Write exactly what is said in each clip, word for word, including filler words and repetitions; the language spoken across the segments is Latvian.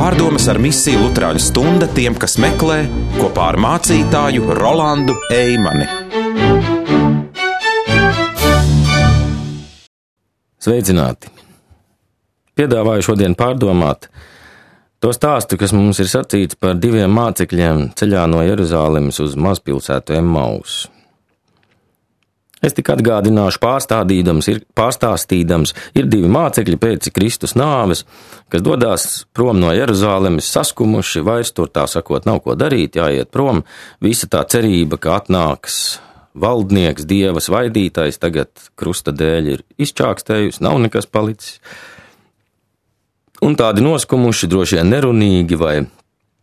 Pārdomas ar misiju Luterāņu stunda tiem, kas meklē, kopā ar mācītāju Rolandu Eimani. Sveicināti! Piedāvāju šodien pārdomāt to stāstu, kas mums ir sacīts par diviem mācekļiem ceļā no Jeruzālemes uz mazpilsētu Emmausu. Es tik atgādināšu pārstādīdams, ir, pārstāstīdams, ir divi mācekļi pēc Kristus nāves, kas dodās prom no Jeruzālemes saskumuši, vairs tur tā sakot nav ko darīt, jāiet prom, visa tā cerība, ka atnāks valdnieks, dieva svaidītājs, tagad krusta dēļ ir izčākstējusi, nav nekas palicis. Un tādi noskumuši, droši vien nerunīgi vai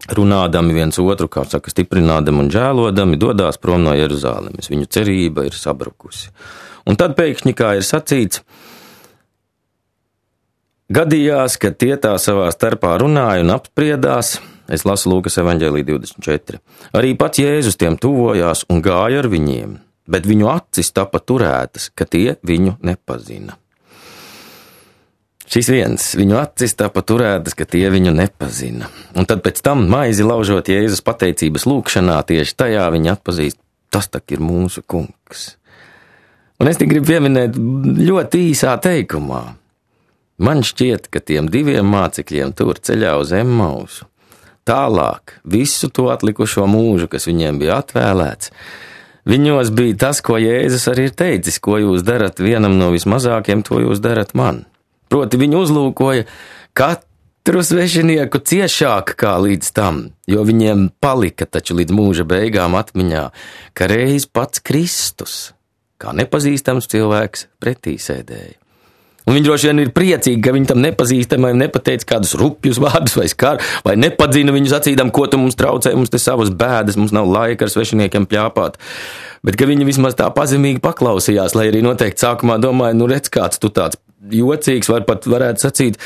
runādami viens otru, kā saka, stiprinādami un žēlodami, dodās prom no Jeruzālemes. Viņu cerība ir sabrukusi. Un tad pēkšņi, kā ir sacīts, gadījās, ka tie tā savā starpā runāja un apspriedās. Es lasu Lūkas evaņģēlī divdesmit četri. Arī pats Jēzus tiem tuvojās un gāja ar viņiem, bet viņu acis tapa turētas, ka tie viņu nepazina. Šis viens, viņu acis tapa turētas, ka tie viņu nepazina. Un tad pēc tam maizi laužot Jēzus pateicības lūkšanā, tieši tajā viņi atpazīst, tas tak ir mūsu kungs. Un es tik gribu pieminēt ļoti īsā teikumā. Man šķiet, ka tiem diviem mācekļiem tur ceļā uz Emmausu, tālāk visu to atlikušo mūžu, kas viņiem bija atvēlēts, viņos bija tas, ko Jēzus arī ir teicis, ko jūs darat vienam no vismazākiem, to jūs darat man. Proti viņu uzlūkoja katru svešinieku ciešāk kā līdz tam, jo viņiem palika taču līdz mūža beigām atmiņā, ka reiz pats Kristus, kā nepazīstams cilvēks, pretī sēdēja. Un viņi droši vien ir priecīgi, ka viņi tam nepazīstamajam nepateica kādus rupjus vārdus vai skar, vai nepadzina viņu sacīdam, ko tu mums traucē, mums te savas bēdas, mums nav laika ar svešiniekiem pļāpāt. Bet ka viņi vismaz tā pazemīgi paklausījās, lai arī noteikti sākumā domāja, nu redz kāds tu tāds jocīgs, var pat varētu sacīt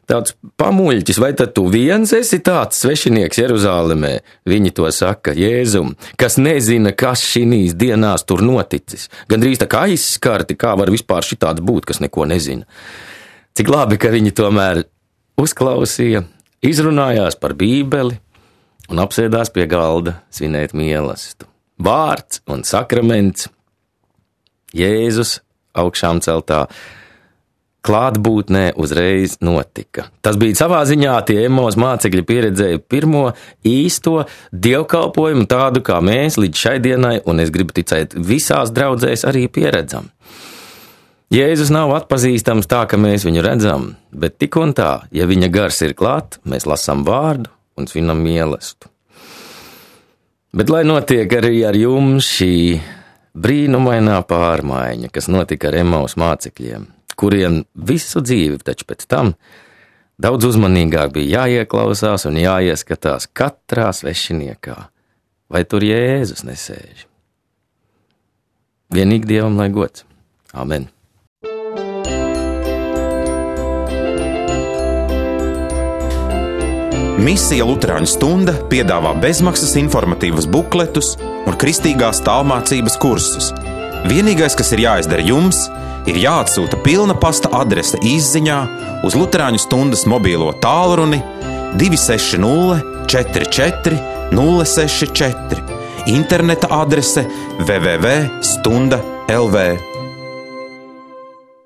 tāds pamuļķis, vai tad tu viens esi tāds svešinieks Jeruzālemē? Viņi to saka Jēzum, kas nezina, kas šīs dienās tur noticis. Gandrīz tā kā aizskarti, kā var vispār šitāds būt, kas neko nezina. Cik labi, ka viņi tomēr uzklausīja, izrunājās par Bībeli un apsēdās pie galda svinēt mielastu. Vārds un sakraments, Jēzus augšām celtā klātbūtnē uzreiz notika. Tas bija savā ziņā, tie Emmaus mācekļi pieredzēja pirmo īsto dievkalpojumu tādu, kā mēs līdz šai dienai, un es gribu ticēt, visās draudzēs arī pieredzam. Jēzus nav atpazīstams tā, ka mēs viņu redzam, bet tik un tā, ja viņa gars ir klāt, mēs lasām vārdu un svinam mielastu. Bet lai notiek arī ar jums šī brīnumainā pārmaiņa, kas notika ar Emmaus mācekļiem, kuriem visu dzīvi taču pēc tam daudz uzmanīgāk bija jāieklausās un jāieskatās katrā svešiniekā, vai tur Jēzus nesēž. Vienīgi Dievam lai gods. Amen. Misija Luterāņu stunda piedāvā bezmaksas informatīvas bukletus un kristīgās tālmācības kursus. Vienīgais, kas ir jāizdara jums, ir jāatsūta pilna pasta adrese izziņā uz Luterāņu stundas mobīlo tālruni divi seši nulle četri četri nulle seši četri, interneta adrese w w w punkt stunda punkt l v.